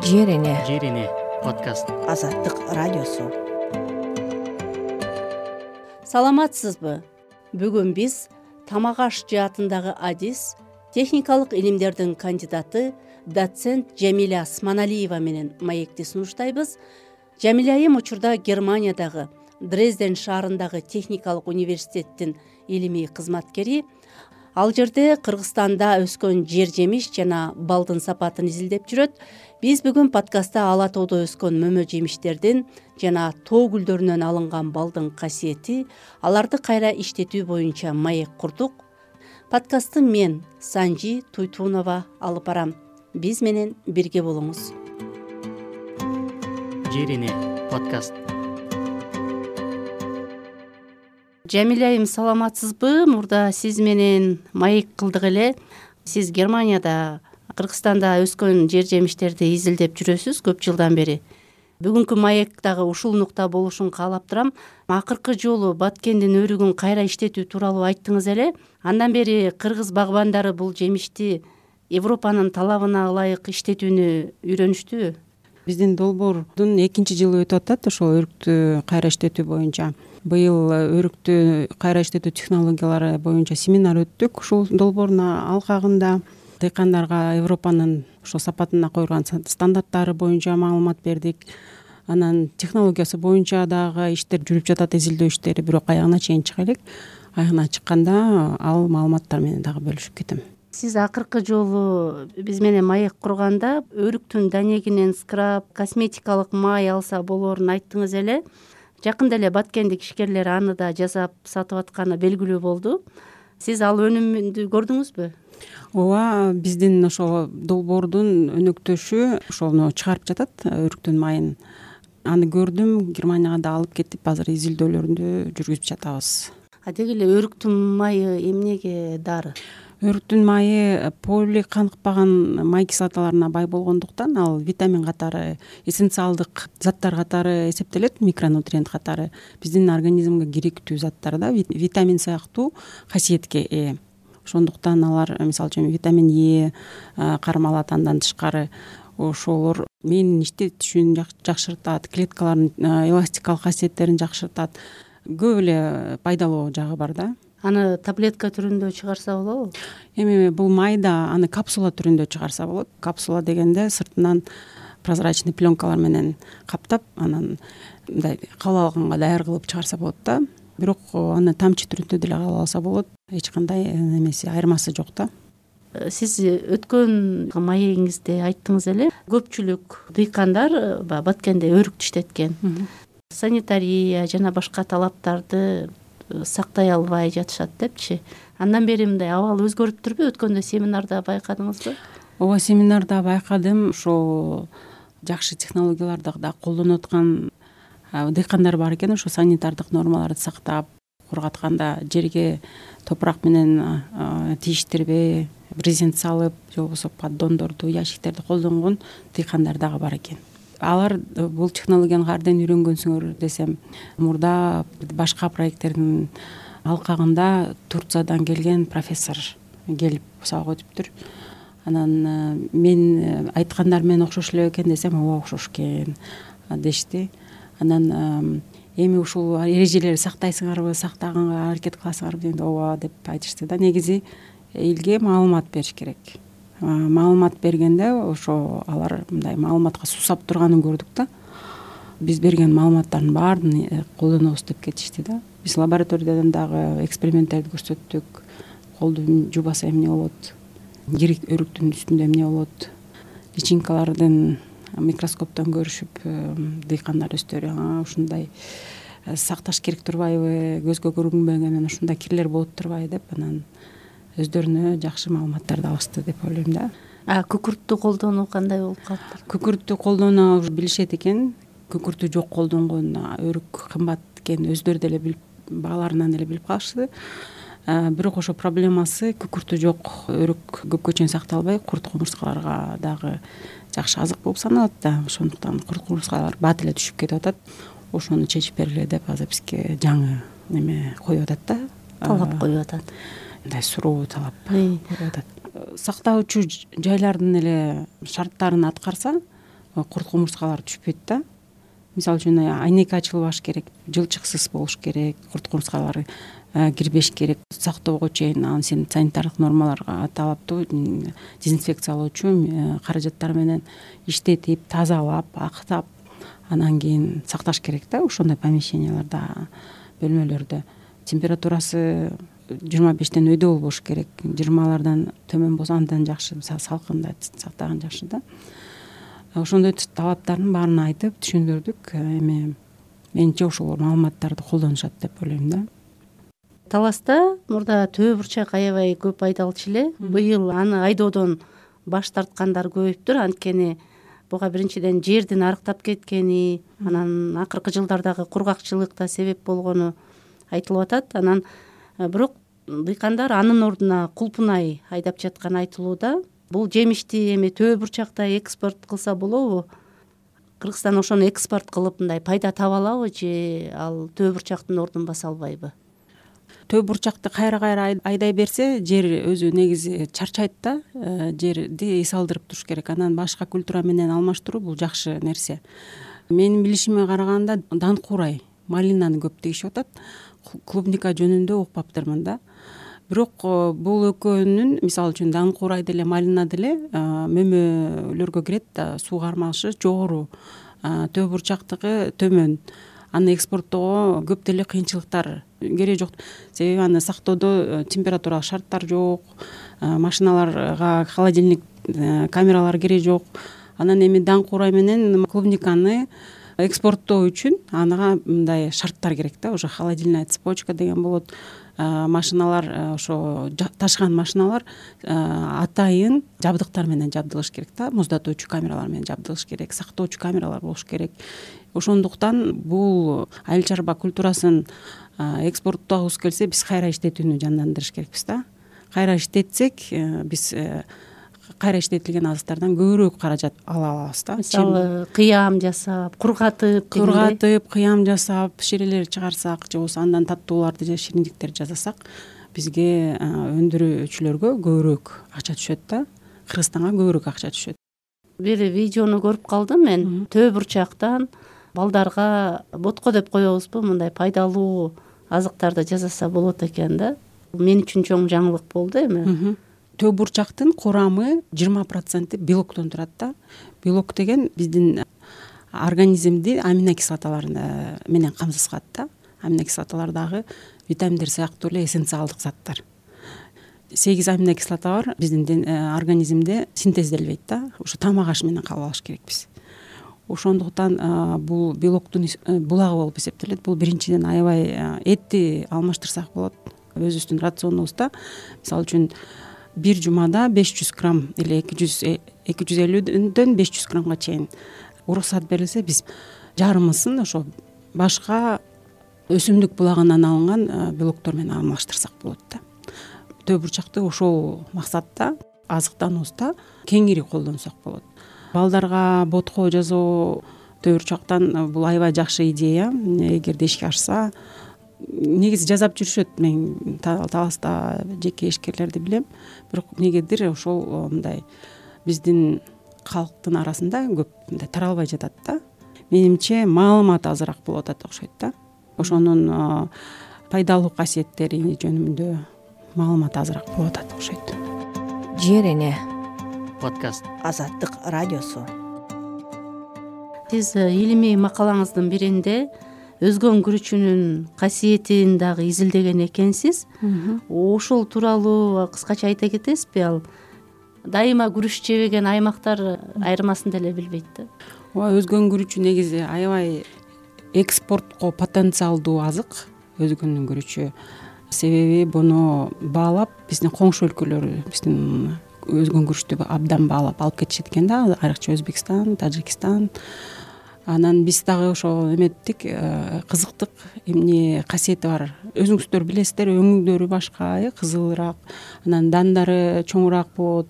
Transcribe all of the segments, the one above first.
Жер эне подкаст. Азаттык радиосу. Саламатсызбы? Бүгүн биз тамак аш жаатындагы адис, техникалык илимдердин кандидаты доцент Жамиля Осмоналиева менен маекти сунуштайбыз. Жамиля айым учурда Германиядагы Дрезден шаарындагы техникалык университеттин илимий кызматкери. Ал жерде Кыргызстанда өскөн жер жемиш жана балдын сапатын изилдеп жүрөт. Биз бүгүн подкастта ала тоодо өскөн мөмө жемиштердин жана тоо гүлдөрүнөн алынган балдын касиети, аларды кайра иштетүү боюнча маек курдук. Подкастты мен, Санжи Туйтунова алып барам. Биз менен бирге болуңуз. Жер эне подкаст. Жамиля айым, саламатсызбы? Мурда сиз менен маек кылдык эле. Сиз Германияда, Кыргызстанда өскөн жер жемиштерди изилдеп жүрөсүз көп жылдан бери. Бүгүнкү маек дагы ушул нукта болушун каалап турам. Акыркы жолу Баткендин өрүгүн кайра иштетүү тууралуу айттыңыз эле. Андан бери кыргыз багбандары бул жемишти Европанын талабына ылайык иштетүүнү үйрөнүштүбү? Биздин долбоордун 2-жылы өтүп атат ошол өрүктү кайра иштетүү боюнча. Быйыл өрүктү кайра иштетүү технологиялары боюнча семинар өттүк. Ушул долбоордун алкагында дыйкандарга Европанын ошо сапатына койгон стандарттары боюнча маалымат бердик. Анан технологиясы боюнча дагы иштер жүрүп жатат, изилдөө иштери, бирок аягына чейин чыга элек. Аягына чыкканда ал маалыматтар менен дагы бөлүшүп кетем. Сиз акыркы жолу биз менен маек курганда өрүктүн данегинен скраб, косметикалык май алса болоорун айттыңыз эле. Жакында эле Баткендик ишкерлер аны да жасап сатып атканы белгилүү болду. Сиз ал өнүмдү көрдүңүзбү? Ооба, биздин ошо долбоордун өнөктөшү ошону чыгарып жатат, өрүктүн майын. Аны көрдүм, Германияга да алып кетип, азыр изилдөөлөрүндү жүргүзүп жатабыз. Деги эле өрүктүн майы эмнеге дары? Өрүктүн майы поликаныппаган май кислоталарына бай болгондуктан ал витамин катары, эссенциалдык заттар катары эсептелет, микронутриент катары. Биздин организмге керектүү заттар да, витамин сыяктуу касиетке ээ. Ошондуктан алар, мисалы үчүн витамин Е кармалат, андан тышкары ошолор мээнин иштетишин жакшыртат, клеткалардын эластикалык касиеттерин жакшыртат. Көп эле пайдалуу жагы бар да. Аны таблетка түрүндө чыгарса болобу? Эми бул майда аны капсула түрүндө чыгарса болот. Капсула дегенде сыртынан прозрачный пленкалар менен каптап, анан мындай кабыл алганга даяр кылып чыгарса болот да. Бирок аны тамчы түрүндө деле кабыл алса болот. Эч кандай немеси, айырмасы жок да. Сиз өткөн маегиңизде айттыңыз эле, көпчүлүк дыйкандар Баткенде өрүктү иштеткен. Санитария жана башка талаптарды сактай албай жатышат депчи. Андан бери мындай абал өзгөрүптүрбү? Өткөндө семинарда байкадыңызбы? Ооба, семинарда байкадым. Ошо жакшы технологияларды да колдонуп аткан дыйкандар бар экен. Ошо санитардык нормаларды сактап, кургатканда жерге топурак менен тийиштирбей, брезент салып, же болбосо поддондорду, ящиктерди колдонгон дыйкандар дагы бар экен. Алар бул технологияны каерден үйрөнгөнсүңөр десем, мурда башка проекттердин алкагында Турциядан келген профессор келип сабак өтүптүр. Анан мен айткандар менен окшош эле экен десем, ооба окшош экен дешти. Анан эми ушул эрежелерди сактайсыңарбы, сактаганга аракет кыласыңарбы дегенде, ооба деп айтышты да. Негизи элге маалымат бериш керек. Маалымат бергенде ошо алар мындай маалыматка суусап турганын көрдүк да. Биз берген маалыматтардын баарын колдонобуз деп кетишти да. Биз лабораториядан дагы эксперименттерди көрсөттүк. Колду жубаса эмне болот, кирик өрүктүн үстүндө эмне болот, личинкалардын микроскоптон көрүшүп дыйкандар өздөрү ушундай сакташ керек турбайбы, көзгө көрүнбөгөнүн ушундай кирлер болуп турбайбы деп, анан өздөрүнө жакшы маалыматтарды алышты деп ойлойм да. Күкүрттү колдонуу кандай болуп калыптыр? Күкүрттү колдонуу билишет экен. Күкүрттү жок колдонгон өрүк кымбат экенин өздөрү деле билип, бааларынан деле билип калышты. Бирок ошо проблемасы күкүртү жок өрүк көпкө чейин сакталбай, курт кумурскаларга дагы жакшы азык болуп саналат да. Ошондуктан курт кумурскалар бат эле түшүп кетип атат. Ошону чечип бергиле деп азыр бизге жаңы неме коюп атат да. Талап коюп атат. Мындай суроо талап коюп атат. Сактоочу жайлардын эле шарттарын аткарса, курт кумурскалар түшпөйт да. Мисалы үчүн айнеке ачылбаш керек, жылчыксыз болуш керек, курт кумурскалар кирбеш керек. Сактоого чейин анын санитардык нормаларга талаптуу дезинфекциялоочу каражаттар менен иштетип, тазалап, актап, анан кийин сакташ керек да. Ошондой помещенияларда, бөлмөлөрдө температурасы 25тен өйдө болбош керек. 20лардан төмөн болсо андан жакшы, салкында сактаган жакшы да. Ошондой талаптардын баарын айтып түшүндүрдүк. Эми менимче ошол маалыматтарды колдонушат деп ойлойм да. Таласта мурда төө бурчак аябай көп айдалчу эле. Быйыл аны айдоодон баш тарткандар көбөйүптүр. Анткени буга биринчиден жердин арыктап кеткени, анан акыркы жылдардагы кургакчылык да себеп болгону айтылып атат. Анан бирок дыйкандар анын ордуна кулпунай айдап жатканы айтылууда. Бул жемишти эми төө бурчакта экспорт кылса болобу? Кыргызстан ошону экспорт кылып мындай пайда таба алабы же ал төө бурчактын ордун баса албайбы? Төө бурчакты кайра айдай берсе, жер өзү негизи чарчайт да. Жерди эс алдырып туруш керек. Анан башка культура менен алмаштыруу бул жакшы нерсе. Менин билишиме караганда данкурай, малинаны көп дегишип атат. Клубника жөнүндө укпаптырмын да. Бирок бул экөөнүн, мисалы үчүн данкурай деле, малина деле мөмөлөргө кирет да, суу кармашы жогору, төө бурчактыгы төмөн. Аны экспорттоого көп деле кыйынчылыктар кереги жок. Себеби аны сактоодо температуралык шарттар жок, машиналарга холодильник камералар кереги жок. Анан эми данкурай менен клубниканы экспорттоо үчүн ага мындай шарттар керек да. Уже холодильная цепочка деген болот. Машиналар, ошо ташыган машиналар атайын жабдыктар менен жабдылыш керек да. Муздатуучу камералар менен жабдылыш керек, сактоочу камералар болуш керек. Ошондуктан бул айыл чарба культурасын экспорттогубуз келсе, биз кайра иштетүүнү жандандырыш керекпиз да. Кайра иштетсек, биз кайра иштетилген азыктардан көбүрөөк каражат ала алабыз да. Мисалы кыям жасап, кургатып, кыям жасап, ширелер чыгарсак, же болбосо андан таттууларды же шириндиктерди жасасак, бизге өндүрүүчүлөргө көбүрөөк акча түшөт да. Кыргызстанга көбүрөөк акча түшөт. Бир видеону көрүп калдым мен. Төө бурчактан балдарга ботко деп коебузбу, мындай пайдалуу азыктарды жасаса болот экен да. Мен үчүн чоң жаңылык болду эми. Төө бурчактын курамы 20% белоктон турат да. Белок деген биздин организмди аминокислоталар менен камсыз кылат да. Аминокислоталар дагы витаминдер сыяктуу эле эссенциалдык заттар. 8 аминокислота бар биздин организмде синтезделбейт да. Ошо тамак аш менен кабыл алыш керекпиз. Ошондуктан бул белоктун булагы болуп эсептелет. Бул биринчиден аябай этти алмаштырсак болот өзүбүздүн рационубузда. Мисалы үчүн бир жумада 500 грамм или 250дөн 500 граммга чейин уруксат берилсе, биз жарымысын ошо башка өсүмдүк булагынан алынган белоктор менен алмаштырсак болот да. Төө бурчакты ошол максатта азыктануубузда кеңири колдонсок болот. Балдарга ботко жасоо төө бурчактан бул аябай жакшы идея. Эгерде ишке ашса, негизи жасап жүрүшөт. Мен Таласта жеке ишкерлерди билем. Бирок негедир ошол мындай биздин калктын арасында көп мындай таралбай жатат да. Менимче маалымат азыраак болуп атат окшойт да. Ошонун пайдалуу касиеттери жөнүндө маалымат азыраак болуп атат окшойт. Жер эне подкаст. Азаттык радиосу. Сиз илимий макалаңыздын биринде өзгөн күрүчүнүн касиетин дагы изилдеген экенсиз. Ошол тууралуу кыскача айта кетесизби? Ал дайыма күрүч жебеген аймактар айырмасын деле билбейт да. Ооба, өзгөн күрүчү негизи аябай экспортко потенциалдуу азык, өзгөнүн күрүчү. Себеби буну баалап биздин коңшу өлкөлөр биздин өзгөн күрүчтү абдан баалап алып кетишет экен да, айрыкча Өзбекстан, Тажикстан. Анан биз дагы ошо эметтик, кызыктык эмне касиети бар. Өзүңүздөр билесиздер, өңүңдөрү башка, кызылыраак, анан дандары чоңураак болот.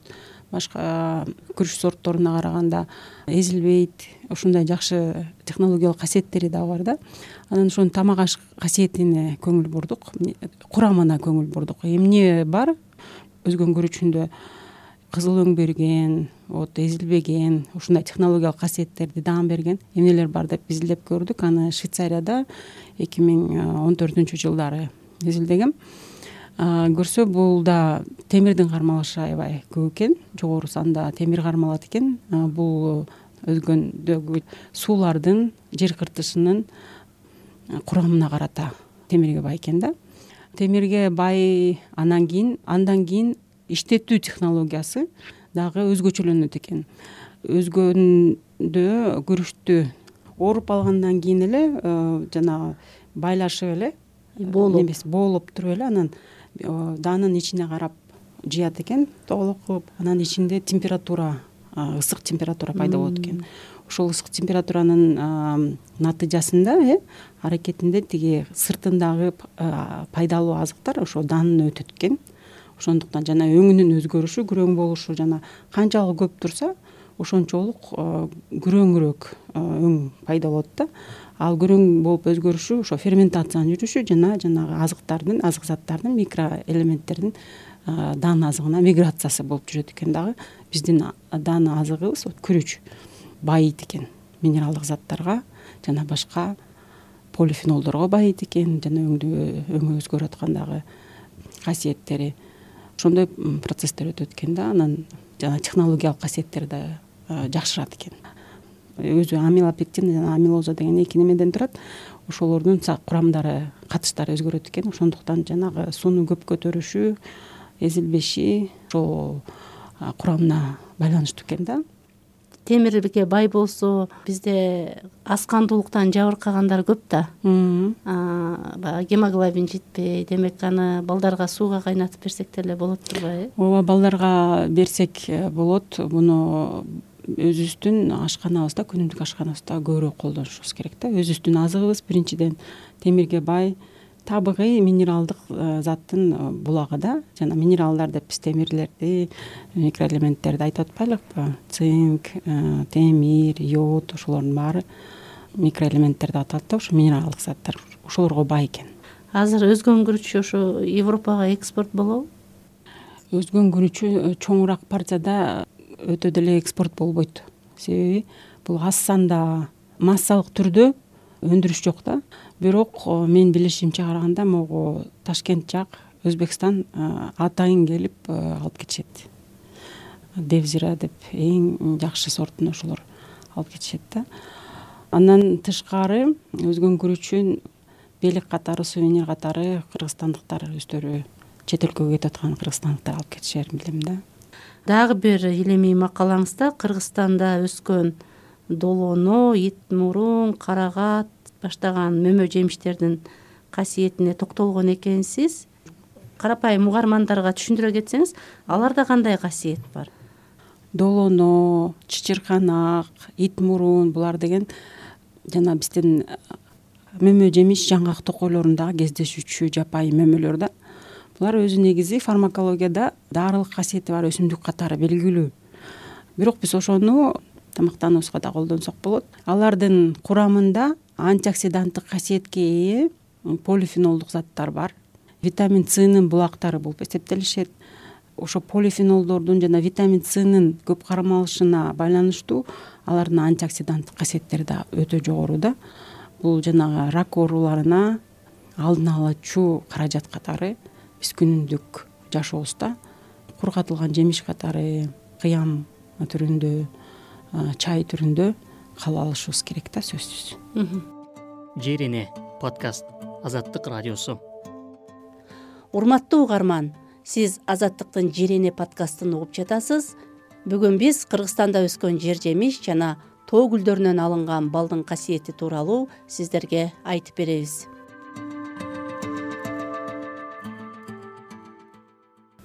Башка күрүч сортторуна караганда эзилбейт. Ошондой жакшы технологиялык касиеттери дагы бар да. Анан ошонун тамак аш касиетине көңүл бурдук, курамына көңүл бурдук. Эмне бар өзгөн күрүчүндө? кызыл өң берген, эзилбеген, ушундай технологиялык касиеттерди даам берген эмнелер бар деп изилдеп көрдүк. Аны Швейцарияда 2014-жылдары изилдегем. Көрсө бул да темирдин кармалышы аябай көп экен, жогору санда темир кармалат экен. Бул өзгөндөгү суулардын, жер кыртышынын курамына карата темирге бай экен да. Темирге бай, андан кийин иштетүү технологиясы дагы өзгөчөлөнөт экен. Өзгөндө күрүштү ооруп алгандан кийин эле жанагы байлашып эле боолоп туруп эле анан даанын ичине карап жыят экен, тоголокуп. Анан ичинде температура, ысык температура пайда болот экен. Ошол ысык температуранын натыйжасында аракетинде тиги сыртындагы пайдалуу азыктар ошо даанына өтөт экен. Ошондуктан жана өңүнүн өзгөрүшү, күрөң болушу жана канчалык көп турса, ошончолук күрөңүрөөк өң пайда болот да. Ал күрөң болуп өзгөрүшү ошо ферментациянын жүрүшү жана жанагы азык заттардын, микроэлементтердин даан азыгына миграциясы болуп жүрөт экен дагы. Биздин даан азыгыбыз күрүч байыйт экен минералдык заттарга жана башка полифенолдорго байыйт экен, жана өңү өзгөрүп аткандагы касиеттери. Ошондой процесстер өтөт экен да. Анан жана технологиялык касиеттери да жакшырат экен. Өзү амилопектин жана амилоза деген эки немеден турат. Ошолордун курамдары, катыштары өзгөрөт экен. Ошондуктан жанагы сууну көп көтөрүшү, эзилбеши ошол курамына байланыштуу экен да. Темирге бай болсо бизде аскандуулуктан жабыркагандар көп да. Баягы гемоглобин жетпей, демек аны балдарга сууга кайнатып берсек деле болот турбайбы? Ооба, балдарга берсек болот. Муну өзүбүздүн ашканабызда, күнүмдүк ашканабызда көбүрөөк колдонушубуз керек да. Өзүбүздүн азыгыбыз биринчиден темирге бай, табигый минералдык заттын булагы да. Жана минералдар деп биз темирлерди, микроэлементтерди айтып атпайлыкпы? Цинк, темир, йод, ошолордун баары микроэлементтер деп аталат да, ошо минералдык заттар. Ошолорго бай экен. Азыр өзгөн күрүч ошо Европага экспорт болобу? Өзгөн күрүчү чоңураак партияда өтө деле экспорт болбойт. Себеби бул аз санда массалык түрдө өндүрүш жок да. Бирок мен билишимче караганда могу Ташкент жак, Өзбекстан атайын келип алып кетишет. Девзира деп эң жакшы сортун ошолор алып кетишет да. Андан тышкары өзгөн күрүчүн белек катары, сувенир катары кыргызстандыктар өздөрү, чет өлкөгө кетип аткан кыргызстандыктар алып кетишерин билем да. Дагы бир илимий макалаңызда Кыргызстанда өскөн долоно, ит мурун, карагат баштаган мөмө жемиштердин касиетине токтолгон экенсиз. Карапайым угармандарга түшүндүрө кетсеңиз, аларда кандай касиет бар? Долоно, чычырканак, ит мурун булар деген жана биздин мөмө жемиш жаңгак токойлорундагы кездешүүчү жапайым мөмөлөр да. Булар өзү негизи фармакологияда дарылык касиети бар өсүмдүк катары белгилүү. Бирок биз ошону тамактануубузга да колдонсок болот. Алардын курамында антиоксиданттык касиетке ээ полифенолдук заттар бар. Витамин Цнын булактары болуп эсептелишет. Ошо полифенолдордун жана витамин Цнын көп кармалышына байланыштуу алардын антиоксиданттык касиеттери да өтө жогору да. Бул жанагы рак ооруларына алдын алуучу каражат катары биз күнүмдүк жашообузда кургатылган жемиш катары, кыям түрүндө, чай түрүндө кала алышыбыз керек да, сөзсүз. Жер эне подкаст, Азаттык радиосу. Урматтуу угарман, сиз Азаттыктын Жер эне подкастын угуп жатасыз. Бүгүн биз Кыргызстанда өскөн жер жемиш жана тоо гүлдөрүнөн алынган балдын касиети тууралуу сиздерге айтып беребиз.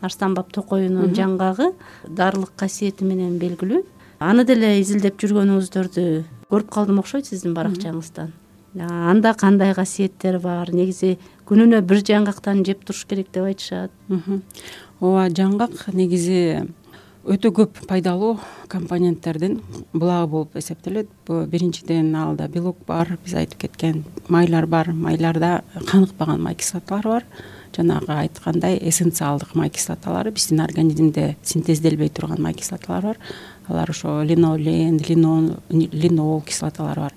Арстанбап токоюнун жаңгагы дарылык касиети менен белгилүү. Аны деле изилдеп жүргөнүңүздөрдү көрүп калдым окшойт сиздин баракчаңыздан. Анда кандай касиеттер бар? Негизи күнүнө бир жаңгактан жеп туруш керек деп айтышат. Ооба, жаңгак негизи өтө көп пайдалуу компоненттердин булагы болуп эсептелет. Биринчиден алда белок бар, биз айтып кеткен майлар бар. Майларда каныкпаган май кислоталар бар. жанагы айткандай эссенциалдык май кислоталары биздин организмде синтезделбей турган май кислоталар бар. Алар ошо линолен, линол кислоталары бар.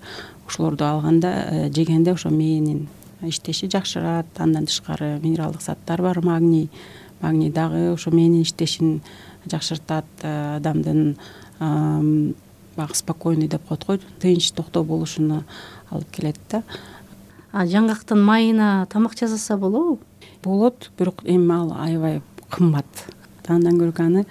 Ошолорду алганда, жегенде ошо мээнин иштеши жакшырат. Андан тышкары минералдык заттар бар, магний дагы ошо мээнин иштешин жакшыртат. Адамдын баягы спокойный деп коет го, тынч токтоо болушуна алып келет да. Жаңгактын майына тамак жасаса болобу? Болот, бирок эми ал аябай кымбат. Андан көрө аны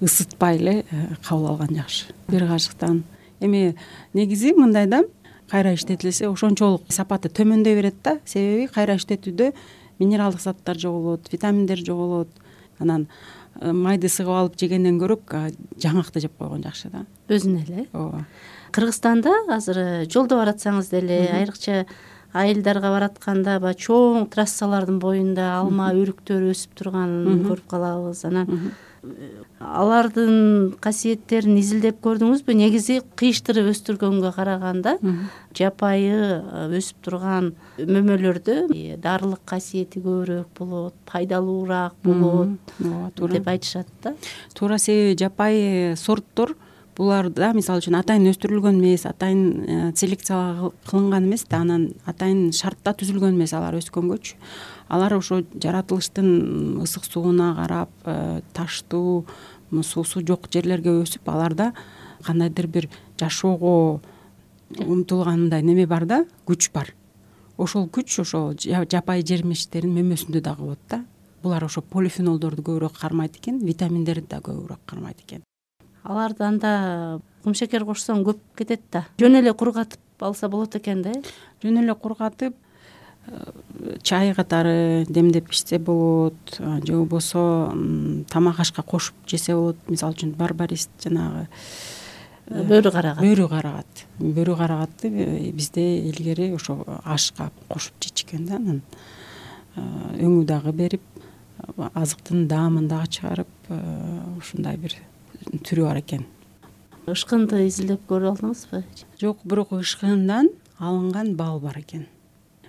ысытпай эле кабыл алган жакшы. Бир кашыктан. Эми негизи мындай да, кайра иштетилсе ошончолук сапаты төмөндөй берет да. Себеби кайра иштетүүдө минералдык заттар жоголот, витаминдер жоголот. Анан майды сыгып алып жегенден көрө жаңгакты жеп койгон жакшы да. Өзүнө эле. Ооба. Кыргызстанда азыр жолдо баратсаңыз деле, айрыкча айылдарга баратканда баягы чоң трассалардын боюнда алма өрүктөр өсүп турганын көрүп калабыз. Анан алардын касиеттерин изилдеп көрдүңүзбү? Негизи кыйыштырып өстүргөнгө караганда жапайы өсүп турган мөмөлөрдө дарылык касиети көбүрөөк болот, пайдалуураак болот деп айтышат да. Туура, себеби жапайы сорттор буларда мисалы үчүн атайын өстүрүлгөн эмес, атайын селекция кылынган эмес да, анан атайын шартта түзүлгөн эмес алар өскөнгөчү. Алар ошо жаратылыштын ысык сууна карап, таштуу, суусу жок жерлерге өсүп, аларда кандайдыр бир жашоого умтулгандай неме бар да, күч бар. Ошол күч ошол жапайы жермештердин мөмөсүндө дагы болот да. Булар ошо полифенолдорду көбүрөөк кармайт экен, витаминдерди да көбүрөөк кармайт экен. Алардан да кумшекер кошсоң көп кетет да. Жөн эле кургатып алса болот экен да. Жөн эле кургатып чай катары демдеп ичсе болот, же болбосо тамак ашка кошуп жесе болот. Мисалы үчүн барбарис, жанагы бөрү карагат. Бөрү карагатты бизде илгери ошо ашка кошуп жечкен да. Анан өңү дагы берип, азыктын даамын дагы чыгарып, ушундай бир түрү бар экен. Ышкынды изилдеп көрүп алдыңызбы? Жок, бирок ышкындан алынган бал бар экен.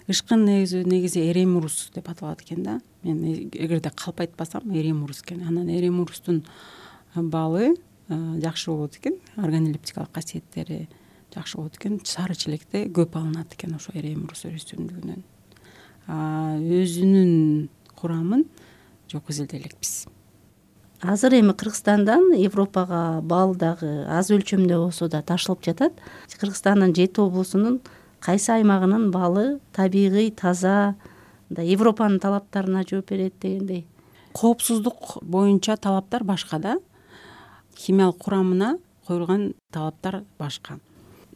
Ышкын негизи эремурус деп аталат экен да. Мен эгерде калп айтпасам эремурус экен. Анан эремурустун балы жакшы болот экен, органолептикалык касиеттери жакшы болот экен. Сары челекте көп алынат экен ошо эремурус өсүмдүгүнөн. Өзүнүн курамын жок изилдей элекпиз. Азыр эми Кыргызстандан Европага бал дагы аз өлчөмдө болсо да ташылып жатат. Кыргызстандын 7 облусунун кайсы аймагынын балы табигый, таза, Европанын талаптарына жооп берет дегендей. Коопсуздук боюнча талаптар башка да. Химиялык курамына коюлган талаптар башка.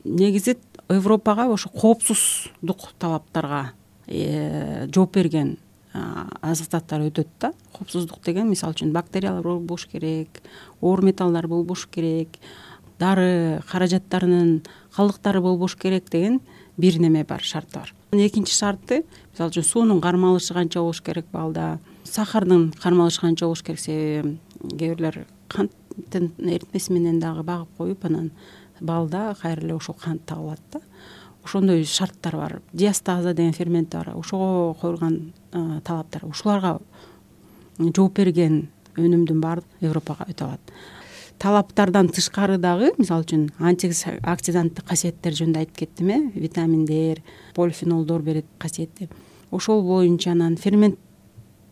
Негизи Европага ошо коопсуздук талаптарга жооп берген азык заттар өтөт да. Коопсуздук деген мисалы үчүн бактериялар болбош керек, оор металлдар болбош керек, дары каражаттарынын калдыктары болбош керек деген бир неме бар, шарт бар. Экинчи шарты, мисалы үчүн суунун кармалышы канча болуш керек балда, сахардын кармалышы канча болуш керек, себеби кээ бирлер канттын эритмеси менен дагы багып коюп, анан балда кайра эле ошол кант табылат да. Ошондой шарттар бар. Диастаза деген фермент бар. Ошого коюлган талаптар. Ушуларга жооп берген өнүмдүн баардыгы Европага өтө алат. Талаптардан тышкары дагы, мисалы үчүн антиоксиданттык касиеттер жөнүндө айтып кеттим, витаминдер, полифенолдор берет касиетти. Ошол боюнча анан фермент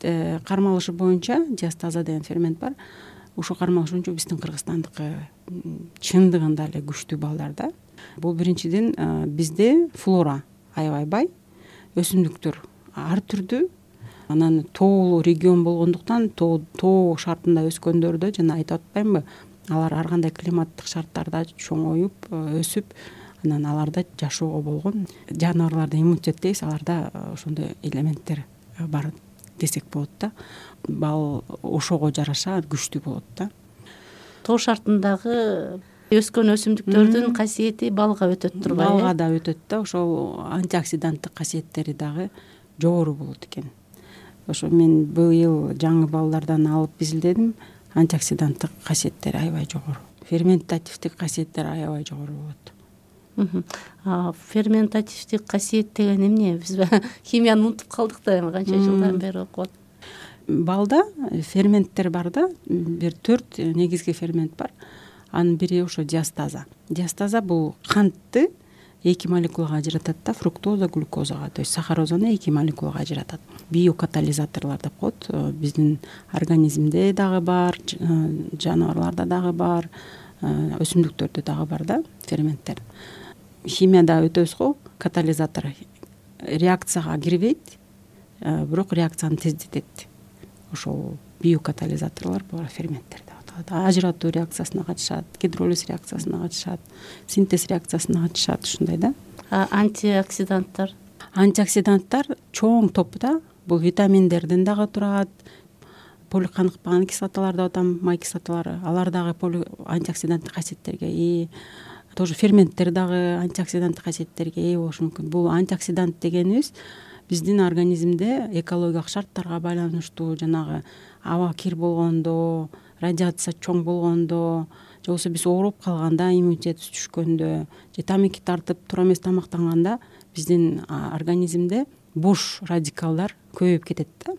кармалышы боюнча диастаза деген фермент бар. Ошо кармалыш боюнча биздин Кыргызстандыкы чындыгында эле күчтүү балдар да. Бул биринчиден бизде флора аябай бай, өсүмдүктөр ар түрдүү. Анан тоолуу регион болгондуктан тоо шартында өскөндөрдө жана айтып атпаймынбы, алар ар кандай климаттык шарттарда чоңоюп, өсүп, анан аларда жашоого болгон жаныбарлардын иммунитет дейбиз, аларда ошондой элементтер бар десек болот да. Бал ошого жараша күчтүү болот да. Тоо шартындагы өскөн өсүмдүктөрдүн касиети балга өтөт турбайбы? Балга да өтөт да. Ошол антиоксиданттык касиеттери дагы жогору болот экен. Ошо мен быйыл жаңы балдардан алып изилдедим. Антиоксиданттык касиеттери аябай жогору. Ферментативдик касиеттери аябай жогору болот. Ферментативдик касиет деген эмне? Биз химияны унутуп калдык да, эми канча жылдан бери окуп атып. Балда ферменттер бар да, бир 4 негизги фермент бар. Анын бири ошо диастаза. Диастаза бул кантты 2 молекулага ажыратат да, фруктоза, глюкозага, то есть сахарозаны 2 молекулага ажыратат. Биокатализаторлор деп коет. Биздин организмде дагы бар, жаныбарларда дагы бар, өсүмдүктөрдө дагы бар да ферменттер. Химияда өтөбүз го, катализатор реакцияга кирбейт, бирок реакцияны тездетет. Ошол биокатализаторлор булар ферменттер деп аталат. Ажыратуу реакциясына катышат, гидролиз реакциясына катышат, синтез реакциясына катышат, ушундай да. Антиоксиданттар? Антиоксиданттар чоң топ да. Бул витаминдерден дагы турат. Поликаныктаган кислоталар деп атам, май кислоталары. Алар дагы антиоксиданттык касиеттерге ээ. Тоже ферменттер дагы антиоксиданттык касиеттерге ээ болушу мүмкүн. Бул антиоксидант дегенибиз биздин организмде экологиялык шарттарга байланыштуу, жанагы аба кир болгондо, радиация чоң болгондо, же болбосо биз ооруп калганда, иммунитетибиз түшкөндө, же тамеки тартып туура эмес тамактанганда биздин организмде бош радикалдар көбөйүп кетет да.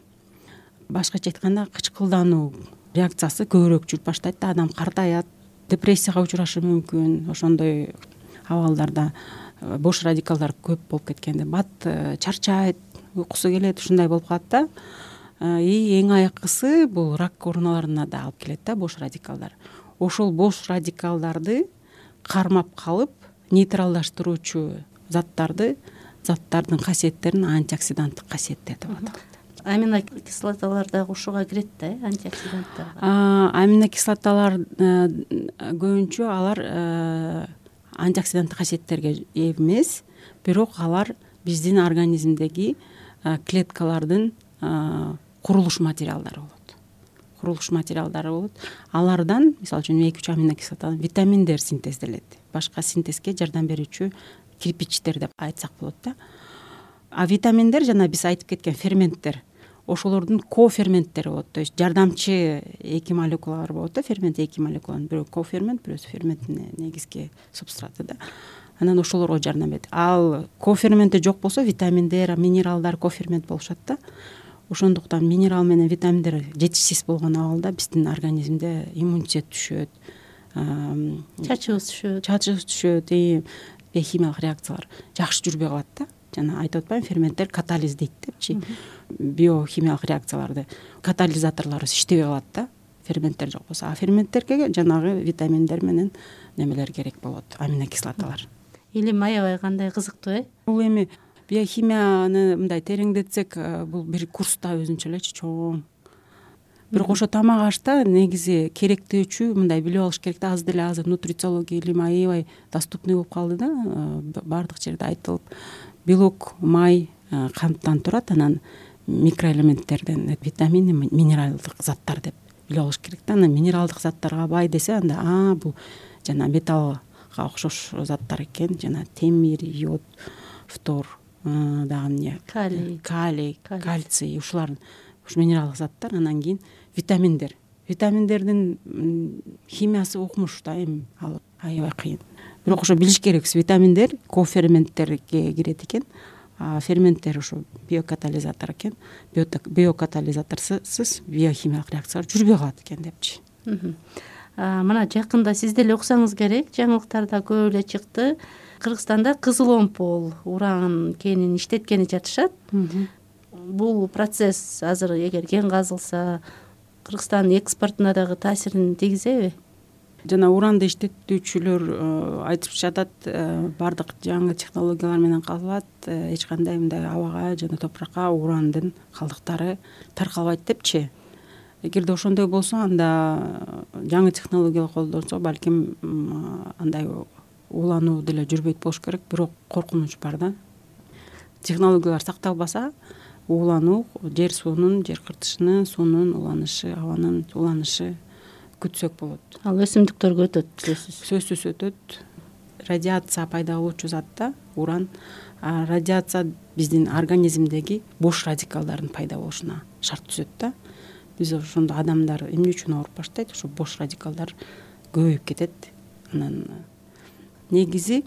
Башкача айтканда, кычкылдануу реакциясы көбүрөөк жүрүп баштайт да, адам картаят, депрессияга учурашы мүмкүн. Ошондой абалдарда бош радикалдар көп болуп кеткенде бат чарчайт, уйкусу келет, ушундай болуп калат да. Эң аяккысы бул рак оорунууларына да алып келет да бош радикалдар. Ошол бош радикалдарды кармап калып, нейтралдаштыруучу заттардын касиеттерин антиоксиданттык касиеттер деп аталат. Аминокислоталар дагы ушуга кирет да, антиоксиданттарга. Аминокислоталар көбүнчө алар антиоксиданттык касиеттерге ээ эмес, бирок алар биздин организмдеги клеткалардын курулуш материалдары болот. Курулуш материалдары болот. Алардан, мисалы үчүн 2-3 аминокислотадан витаминдер синтезделет. Башка синтезге жардам берүүчү кирпичтер деп айтсак болот да. Витаминдер жана биз айтып кеткен ферменттер, ошолордун коферменттери болот. То есть жардамчы 2 молекулалар болот да, фермент 2 молекуланын бирөө кофермент, бирөөсү ферменттин негизги субстраты да. Анан ошолорго жардам берет. Ал коферменти жок болсо витаминдер, минералдар кофермент болушат да. Ошондуктан минерал менен витаминдер жетишсиз болгон абалда биздин организмде иммунитет түшөт, чачыбыз түшөт, химиялык реакциялар жакшы жүрбөй калат да. Жана айтып атпайм, ферменттер катализдейт депчи. Биохимиялык реакцияларды катализаторлорубуз иштебей калат да, ферменттер жок болсо. А ферменттерге жанагы витаминдер менен немелер керек болот, аминокислоталар. Илим аябай кандай кызыктуу, Бул эми биохимияны мындай тереңдетсек, бул бир курста өзүнчө элечи чоң. Бирок ошо тамак ашта негизи керектөөчү мындай билип алыш керек да. Азыр деле нутрициология илими аябай доступный болуп калды да. Баардык жерде айтылып, белок, май, канттан турат, анан микроэлементтерден витамин, минералдык заттар деп билип алыш керек да. Анан минералдык заттарга бай десе, анда бул жана металлга окшош заттар экен, жана темир, йод, фтор, дагы эмне, калий, кальций, ушулар ушу минералдык заттар. Анан кийин витаминдер. Витаминдердин химиясы укмуш да, эми алып аябай кыйын. Бирок ошо билиш керекпиз, витаминдер коферменттерге кирет экен, а ферменттер ошо биокатализатор экен. Биокатализаторсыз биохимиялык реакциялар жүрбөй калат экен депчи. Мына жакында сиз деле уксаңыз керек, жаңылыктарда көп эле чыкты. Кыргызстанда кызыл омпол, уран кенин иштеткени жатышат. Бул процесс азыр эгер кен казылса, Кыргызстандын экспортуна дагы таасирин тийгизеби? Жана уранды иштетүүчүлөр айтып жатат, баардык жаңы технологиялар менен казылат, эч кандай мындай абага жана топуракка урандын калдыктары таркалбайт депчи. Эгерде ошондой болсо, анда жаңы технология колдонсо, балким андай улануу деле жүрбөйт болуш керек. Бирок коркунуч бар да. Технологиялар сакталбаса, улануу, жер кыртышынын, суунун уланышы, абанын уланышы күтсөк болот. Ал өсүмдүктөргө өтөт, сөзсүз өтөт. Радиация пайда кылуучу зат да, уран. Радиация биздин организмдеги бош радикалдардын пайда болушуна шарт түзөт да. Биз ошондо адамдар эмне үчүн ооруп баштайт? Ошо бош радикалдар көбөйүп кетет. Анан негизи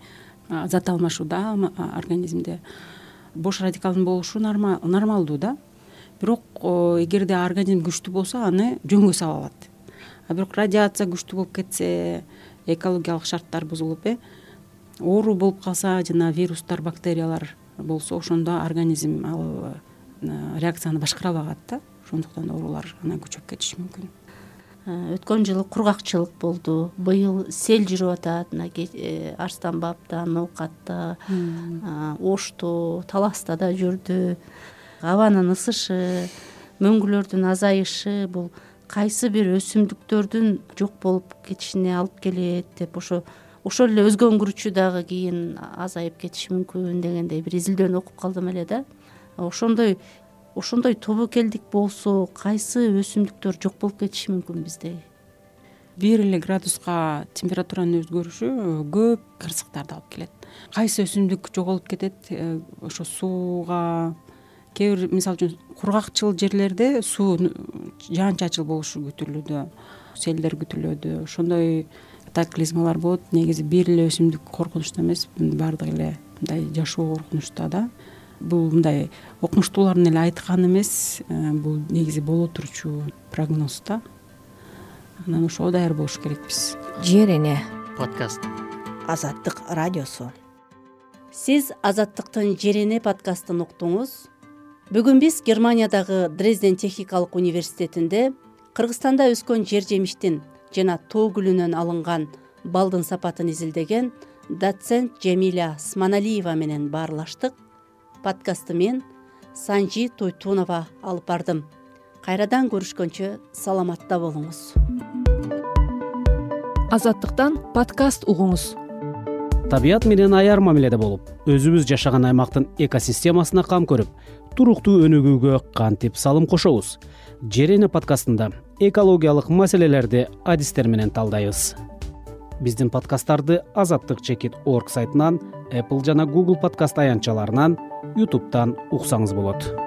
зат алмашууда организмде бош радикалдын болушу нормалдуу да. Бирок эгерде организм күчтүү болсо аны жөнгө сала алат. А бирок радиация күчтүү болуп кетсе, экологиялык шарттар бузулуп оору болуп калса, жана вирустар, бактериялар болсо, ошондо организм ал реакцияны башкара албагат да. Ошондуктан оорулар анан күчөп кетиши мүмкүн. Өткөн жылы кургакчылык болду, быйыл сел жүрүп атат. Арстан бабда, Ноокатта, Ошто, Таласта да жүрдү. Абанын ысышы, мөңгүлөрдүн азайышы бул кайсы бир өсүмдүктөрдүн жок болуп кетишине алып келет деп ошол эле өзгө өңгүрүчү дагы кийин азайып кетиши мүмкүн дегендей бир изилдөөнү окуп калдым эле да. Ошондой тобокелдик болсо кайсы өсүмдүктөр жок болуп кетиши мүмкүн бизде? 1 градуска температуранын өзгөрүшү көп кырсыктарды алып келет. Кайсы өсүмдүк жоголуп кетет? Ошо сууга, кээ бир мисалы үчүн кургакчыл жерлерде суу жаан-чачыл болушу күтүлүүдө, селдер күтүлүүдө. Ошондой катаклизмалар болот. Негизи бир эле өсүмдүк коркунучта эмес, баардыгы эле мындай жашоо коркунучта да. Бул мындай окумуштуулардын эле айтканы эмес, бул негизи боло турчу прогноз да. Анан ошого даяр болуш керекпиз. Жер эне подкаст. Азаттык радиосу. Сиз Азаттыктын Жер эне подкастын уктуңуз. Бүгүн биз Германиядагы Дрезден техникалык университетинде Кыргызстанда өскөн жер жемиштин жана тоо гүлүнөн алынган балдын сапатын изилдеген доцент Жемиля Сманалиева менен баарлаштык. Подкастты мен Санжи Тойтунова алып бардым. Кайрадан көрүшкөнчө саламатта болуңуз. Азаттыктан подкаст угуңуз. Табият менен аяр мамиледе болуп, өзүбүз жашаган аймактын экосистемасына кам көрүп, туруктуу өнүгүүгө кантип салым кошобуз? Жер эне подкастында экологиялык маселелерди адистер менен талдайбыз. Биздин подкасттарды azattik.org сайтынан, Apple жана Google подкаст аянтчаларынан, YouTube'дан уксаңыз болот.